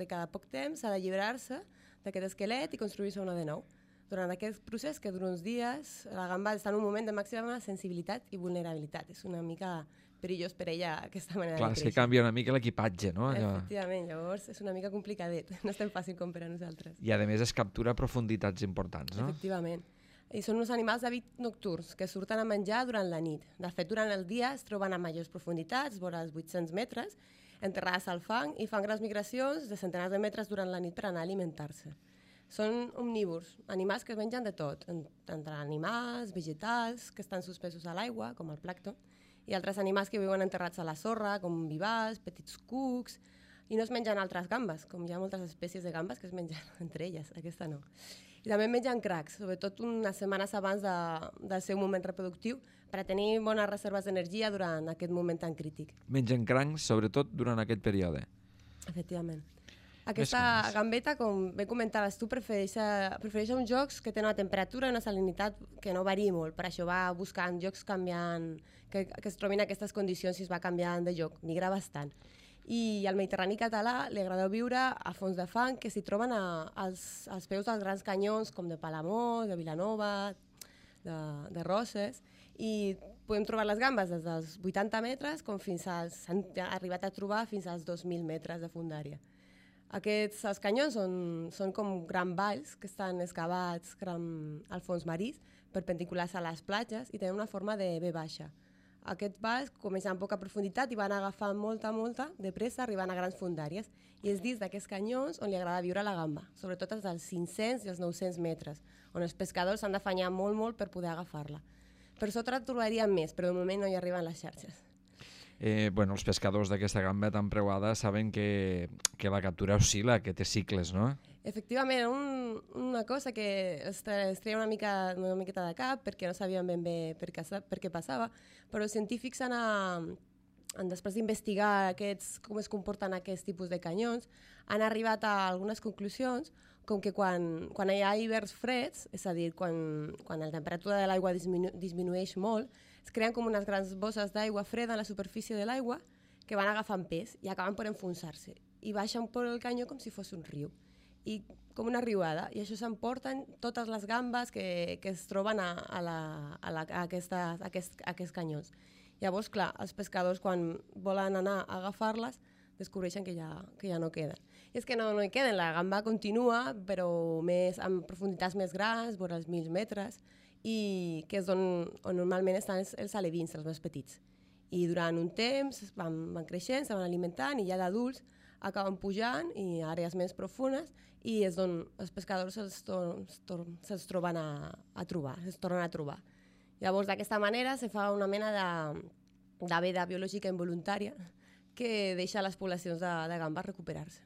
cada poc temps s'ha d'alliberar-se d'aquest esquelet i construir-se una de nou. Durant aquest procés, que dura uns dies, la gamba està en un moment de màxima sensibilitat i vulnerabilitat. És una mica perillós per ella aquesta manera de créixer. Clar, és que canvia una mica l'equipatge, no? Efectivament, llavors és una mica complicadet, no és tan fàcil com per a nosaltres. I a més es captura a profunditats importants, no? Efectivament. I són uns animals d'hàbit nocturns que surten a menjar durant la nit. De fet, durant el dia es troben a majors profunditats, vora els 800 metres, enterrades al fang i fan grans migracions de centenars de metres durant la nit per anar a alimentar-se. Són omnívors, animals que es mengen de tot, entre animals, vegetals, que estan suspesos a l'aigua, com el plàncton, i altres animals que viuen enterrats a la sorra, com vivals, petits cucs, i no es mengen altres gambes, com hi ha moltes espècies de gambes que es mengen entre elles, aquesta no. I també mengen cracs, sobretot unes setmanes abans del seu moment reproductiu, per a tenir bones reserves d'energia durant aquest moment tan crític. Mengen crancs, sobretot durant aquest període. Efectivament. Aquesta gambeta, com bé comentaves tu, prefereix uns jocs que tenen una temperatura i una salinitat que no variï molt. Per això va buscant jocs canviant, que es trobin aquestes condicions i es va canviant de joc. Migra bastant. I al Mediterrani català li agrada viure a fons de fang que s'hi troben als peus dels grans canyons com de Palamós, de Vilanova, de Roses, i podem trobar les gambes des dels 80 metres com s'han arribat a trobar fins als 2.000 metres de fondària. Els canyons són com grans valls que estan excavats al fons marí, perpendiculars a les platges, i tenen una forma de V baixa. Aquests valls comencen amb poca profunditat i van agafant molta, de pressa, arribant a grans fondàries. I és dins d'aquests canyons on li agrada viure la gamba, sobretot els dels 500 i els 900 metres, on els pescadors s'han d'afanyar molt per poder agafar-la. Per sota trobaríem més, però de moment no hi arriben les xarxes. Els pescadors d'aquesta gamba tan preuada saben que la captura oscil·la, que té cicles, no? Efectivament, una cosa que es treia una miqueta de cap perquè no sabien ben bé per què passava, però els científics després d'investigar com es comporten aquests tipus de canyons, han arribat a algunes conclusions, com que quan hi ha hiverns freds, és a dir, quan la temperatura de l'aigua disminueix molt, es creen com unes grans bosses d'aigua freda a la superfície de l'aigua que van agafant pes i acaben per enfonsar-se i baixen per el canyó com si fos un riu, i com una riuada, i això s'emporten totes les gambes que es troben a aquests canyons. Llavors, clar, els pescadors quan volen anar a agafar-les descobreixen que ja no queden. I és que no hi queden, la gamba continua, però amb profunditats més grans, vora els 1.000 metres, i que és on normalment estan els alevins, els més petits. I durant un temps van creixent, se van alimentant, i ja d'adults acaben pujant i a àrees més profundes, i és on els pescadors se'ls tornen a trobar. Llavors, d'aquesta manera, se fa una mena de veda biològica involuntària que deixa les poblacions de gambes recuperar-se.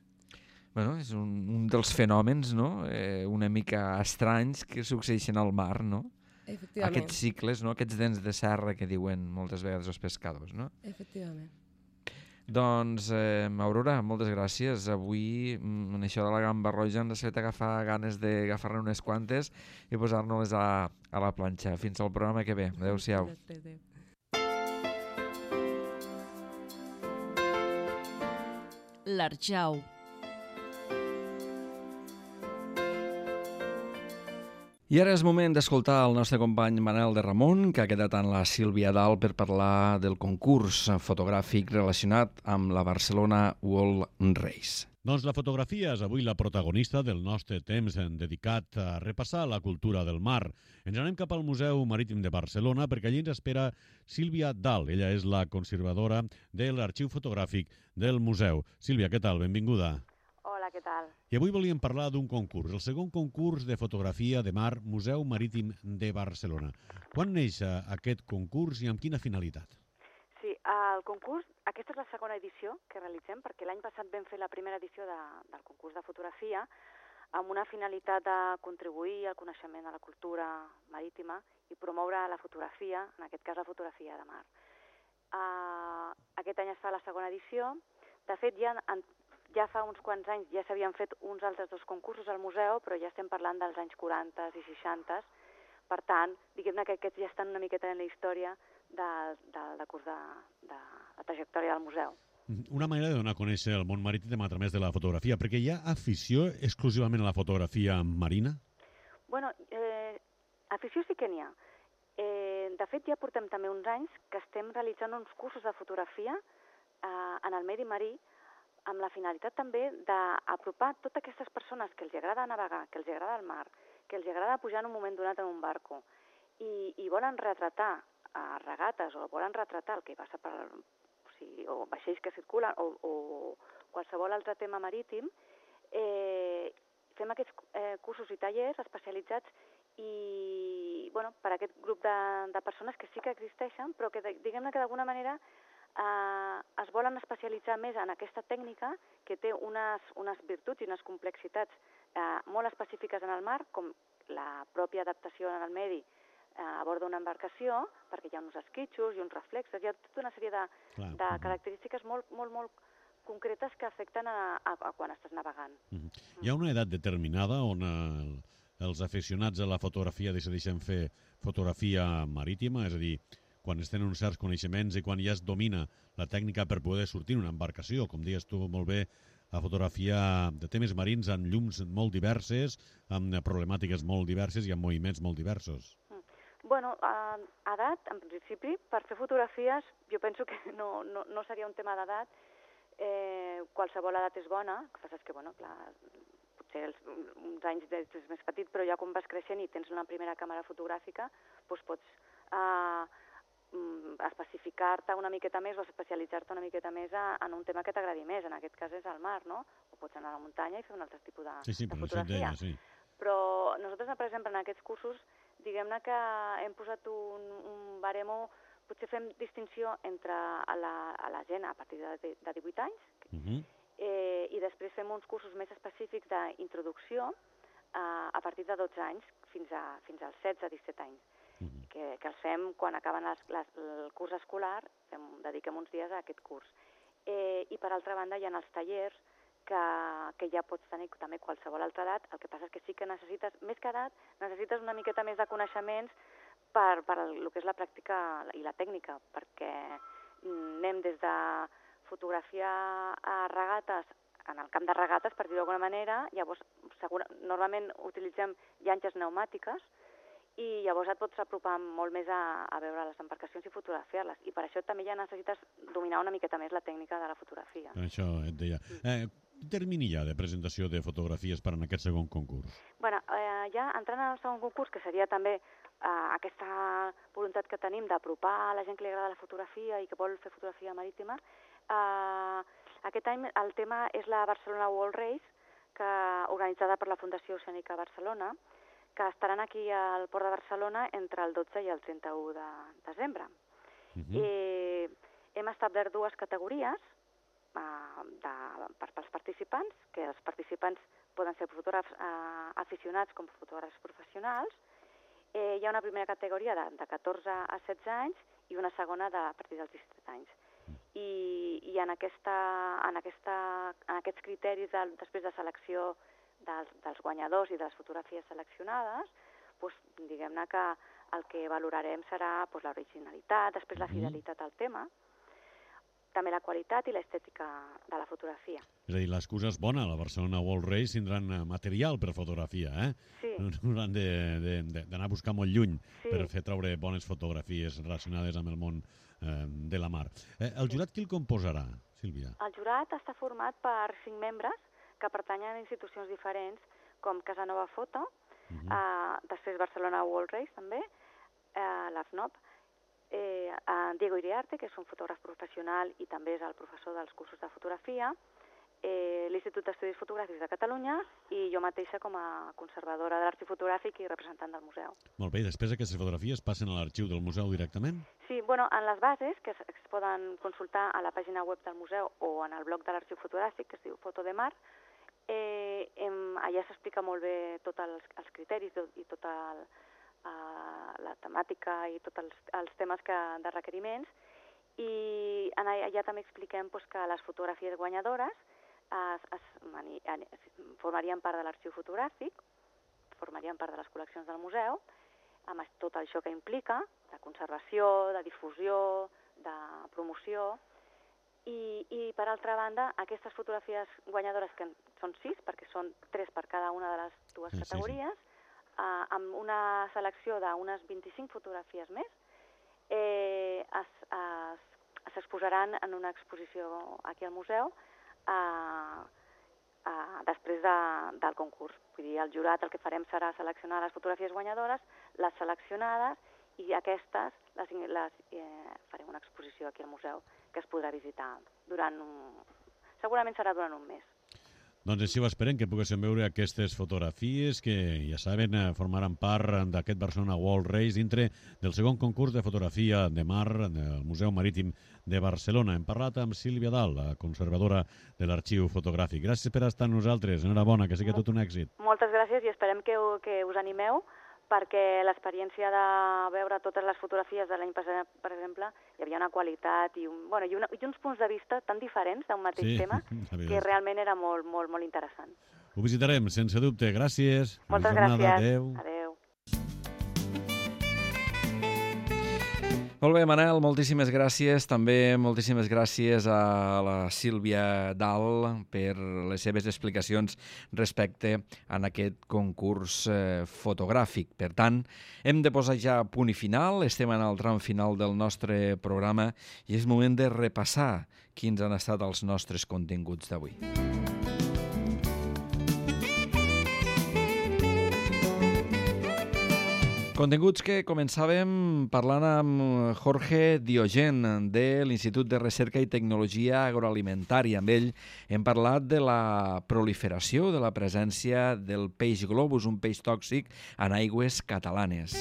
És un dels fenòmens, no? Una mica estranys que succeeixen al mar, no? Efectivament. Aquests cicles, no? Aquests dents de serra que diuen moltes vegades els pescadors, no? Efectivament. Doncs, Aurora, moltes gràcies. Avui, en això de la gamba roja, ens ha fet agafar ganes d'agafar-ne unes quantes i posar-nos a la planxa. Fins al programa que ve. Adéu-siau. L'Arjau. I ara és moment d'escoltar el nostre company Manel de Ramon, que ha quedat amb la Sílvia Dalt per parlar del concurs fotogràfic relacionat amb la Barcelona World Race. Doncs la fotografia és avui la protagonista del nostre temps dedicat a repassar la cultura del mar. Ens anem cap al Museu Marítim de Barcelona perquè allí ens espera Sílvia Dalt. Ella és la conservadora de l'arxiu fotogràfic del museu. Sílvia, què tal? Benvinguda. Hola, què tal? I avui volíem parlar d'un concurs, el segon concurs de fotografia de mar Museu Marítim de Barcelona. Quan neix aquest concurs i amb quina finalitat? Sí, el concurs, aquesta és la segona edició que realitzem, perquè l'any passat vam fer la primera edició del concurs de fotografia amb una finalitat de contribuir al coneixement de la cultura marítima i promoure la fotografia, en aquest cas la fotografia de mar. Aquest any es fa la segona edició. De fet, ja fa uns quants anys ja s'havien fet uns altres dos concursos al museu, però ja estem parlant dels anys 40 i 60. Per tant, diguem-ne que aquests ja estan una miqueta en la història del curs de la trajectòria del museu. Una manera de donar a conèixer el món marítim a través de la fotografia, perquè hi ha afició exclusivament a la fotografia marina? Bueno, afició sí que n'hi ha. De fet, ja portem també uns anys que estem realitzant uns cursos de fotografia en el medi marí amb la finalitat també d'apropar totes aquestes persones que els agrada navegar, que els agrada el mar, que els agrada pujar en un moment donat en un barco i volen retratar regates o volen retratar el que passa o vaixells que circulen o qualsevol altre tema marítim, fem aquests cursos i tallers especialitzats per a aquest grup de persones que sí que existeixen, però que diguem-ne que d'alguna manera es volen especialitzar més en aquesta tècnica que té unes virtuts i unes complexitats molt específiques en el mar, com la pròpia adaptació en el medi a bord d'una embarcació, perquè hi ha uns esquitxos i uns reflexes, hi ha tota una sèrie de característiques molt, molt, molt concretes que afecten a quan estàs navegant. Hi ha una edat determinada on els aficionats a la fotografia decideixen fer fotografia marítima, és a dir, quan es tenen uns certs coneixements i quan ja es domina la tècnica per poder sortir en una embarcació, com dius tu molt bé, a fotografia de temes marins amb llums molt diverses, amb problemàtiques molt diverses i amb moviments molt diversos. Bueno, edat, en principi, per fer fotografies, jo penso que no seria un tema d'edat. Qualsevol edat és bona, el que passa és que, bueno, clar, potser uns anys és més petit, però ja quan vas creixent i tens una primera càmera fotogràfica, doncs pots especificar-te una miqueta més o especialitzar-te una miqueta més en un tema que t'agradi més. En aquest cas és el mar, no? O pots anar a la muntanya i fer un altre tipus de fotografia. Però nosaltres, per exemple, en aquests cursos, diguem-ne que hem posat un baremo, potser fem distinció entre a la gent a partir de 18 anys i després fem uns cursos més específics d'introducció a partir de 12 anys fins als 16-17 anys, que els fem quan acaben el curs escolar, dediquem uns dies a aquest curs. I per altra banda hi ha els tallers que ja pots tenir també qualsevol altra edat. El que passa és que sí que necessites, més que edat, necessites una miqueta més de coneixements per el que és la pràctica i la tècnica, perquè anem des de fotografia a regates, en el camp de regates, per dir-ho d'alguna manera, llavors normalment utilitzem llanxes pneumàtiques i llavors et pots apropar molt més a veure les embarcacions i fotografiar-les. I per això també ja necessites dominar una miqueta més la tècnica de la fotografia. Això et deia. Quin termini hi ha de presentació de fotografies per en aquest segon concurs? Bueno, ja entrant en el segon concurs, que seria també aquesta voluntat que tenim d'apropar a la gent que li agrada la fotografia i que vol fer fotografia marítima, aquest any el tema és la Barcelona World Race, organitzada per la Fundació Oceànica Barcelona, que estaran aquí al Port de Barcelona entre el 12 i el 31 de desembre. Hem establert dues categories pels participants, que els participants poden ser fotògrafs aficionats com fotògrafs professionals. Hi ha una primera categoria de 14 a 16 anys i una segona a partir dels 17 anys. I en aquests criteris després de selecció dels guanyadors i de les fotografies seleccionades, diguem-ne que el que valorarem serà l'originalitat, després la fidelitat al tema. també la qualitat i l'estètica de la fotografia. És a dir, l'excusa és bona. La Barcelona World Race tindran material per fotografia, eh? Sí. No hauran d'anar a buscar molt lluny per fer treure bones fotografies relacionades amb el món de la mar. El jurat qui el composarà, Sílvia? El jurat està format per 5 membres que pertanyen a institucions diferents, com Casanova Foto, després Barcelona World Race també, l'AFNOP, Diego Iriarte, que és un fotògraf professional i també és el professor dels cursos de fotografia, l'Institut d'Estudis Fotogràfics de Catalunya i jo mateixa com a conservadora de l'arxiu fotogràfic i representant del museu. Molt bé, i després aquestes fotografies passen a l'arxiu del museu directament? Sí, bueno, en les bases, que es poden consultar a la pàgina web del museu o en el blog de l'arxiu fotogràfic, que es diu Foto de Mar, allà s'explica molt bé tots els criteris i tota la temàtica i tots els temes de requeriments, i allà també expliquem que les fotografies guanyadores formarien part de l'arxiu fotogràfic, formarien part de les col·leccions del museu, amb tot això que implica, de conservació, de difusió, de promoció, i per altra banda, aquestes fotografies guanyadores, que són 6, perquè són 3 per cada una de les dues categories, amb una selecció d'unes 25 fotografies més, s'exposaran en una exposició aquí al museu després del concurs. Vull dir, el jurat el que farem serà seleccionar les fotografies guanyadores, les seleccionades, i aquestes farem una exposició aquí al museu que es podrà visitar segurament serà durant un mes. Doncs així ho esperem, que poguéssim veure aquestes fotografies que, ja saben, formaran part d'aquest Barcelona World Race dintre del segon concurs de fotografia de mar del Museu Marítim de Barcelona. Hem parlat amb Sílvia Dal, la conservadora de l'arxiu fotogràfic. Gràcies per estar amb nosaltres. Enhorabona, que sigui tot un èxit. Moltes gràcies i esperem que us animeu, perquè l'experiència de veure totes les fotografies de l'any passat, per exemple, hi havia una qualitat i uns punts de vista tan diferents d'un mateix tema que realment era molt, molt, molt interessant. Ho visitarem, sense dubte. Gràcies. Moltes gràcies. Adéu. Adéu. Molt bé, Manel, moltíssimes gràcies. També moltíssimes gràcies a la Sílvia Dal per les seves explicacions respecte a aquest concurs fotogràfic. Per tant, hem de posar ja punt i final. Estem en el tram final del nostre programa i és moment de repassar quins han estat els nostres continguts d'avui. Continguts que començàvem parlant amb Jorge Diogen de l'Institut de Recerca i Tecnologia Agroalimentària. Amb ell hem parlat de la proliferació, de la presència del peix globus, un peix tòxic en aigües catalanes.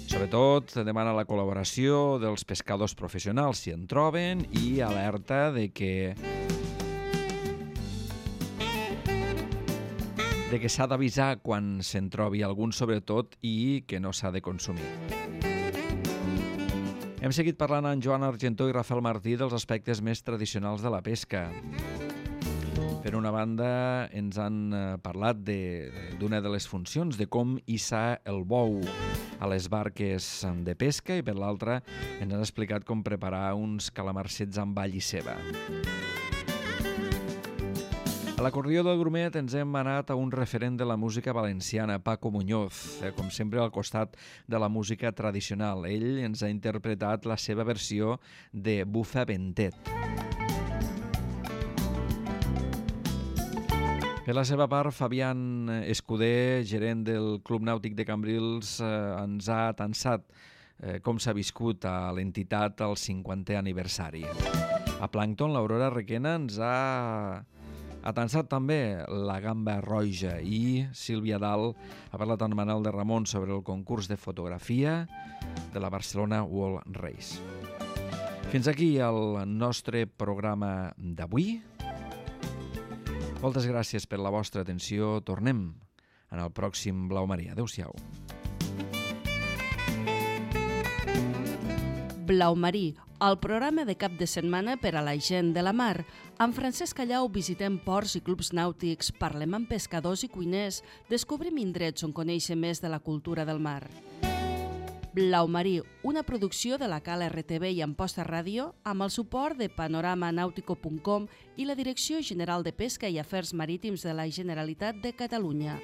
Sobretot demana la col·laboració dels pescadors professionals si en troben i alerta de que s'ha d'avisar quan se'n trobi algun, sobretot, i que no s'ha de consumir. Hem seguit parlant amb Joan Argentó i Rafael Martí dels aspectes més tradicionals de la pesca. Per una banda, ens han parlat d'una de les funcions, de com hissar el bou a les barques de pesca, i per l'altra ens han explicat com preparar uns calamarsets amb all i ceba. A l'acordió del Grumet ens hem anat a un referent de la música valenciana, Paco Muñoz, com sempre al costat de la música tradicional. Ell ens ha interpretat la seva versió de Bufa Ventet. Per la seva part, Fabián Escudé, gerent del Club Nàutic de Cambrils, ens ha atansat com s'ha viscut a l'entitat al 50è aniversari. A Plàncton, l'Aurora Requena ens ha atansat també la gamba roja, i Sílvia Dal ha parlat amb Manel de Ramon sobre el concurs de fotografia de la Barcelona World Race. Fins aquí el nostre programa d'avui. Moltes gràcies per la vostra atenció. Tornem en el pròxim Blau Maria. Adéu-siau. Blau Marí, el programa de cap de setmana per a la gent de la mar. Amb Francesc Callau visitem ports i clubs nàutics, parlem amb pescadors i cuiners, descobrim indrets on conèixer més de la cultura del mar. Blau Marí, una producció de la Cala RTV i Amposta Ràdio amb el suport de panoramanautico.com i la Direcció General de Pesca i Afers Marítims de la Generalitat de Catalunya.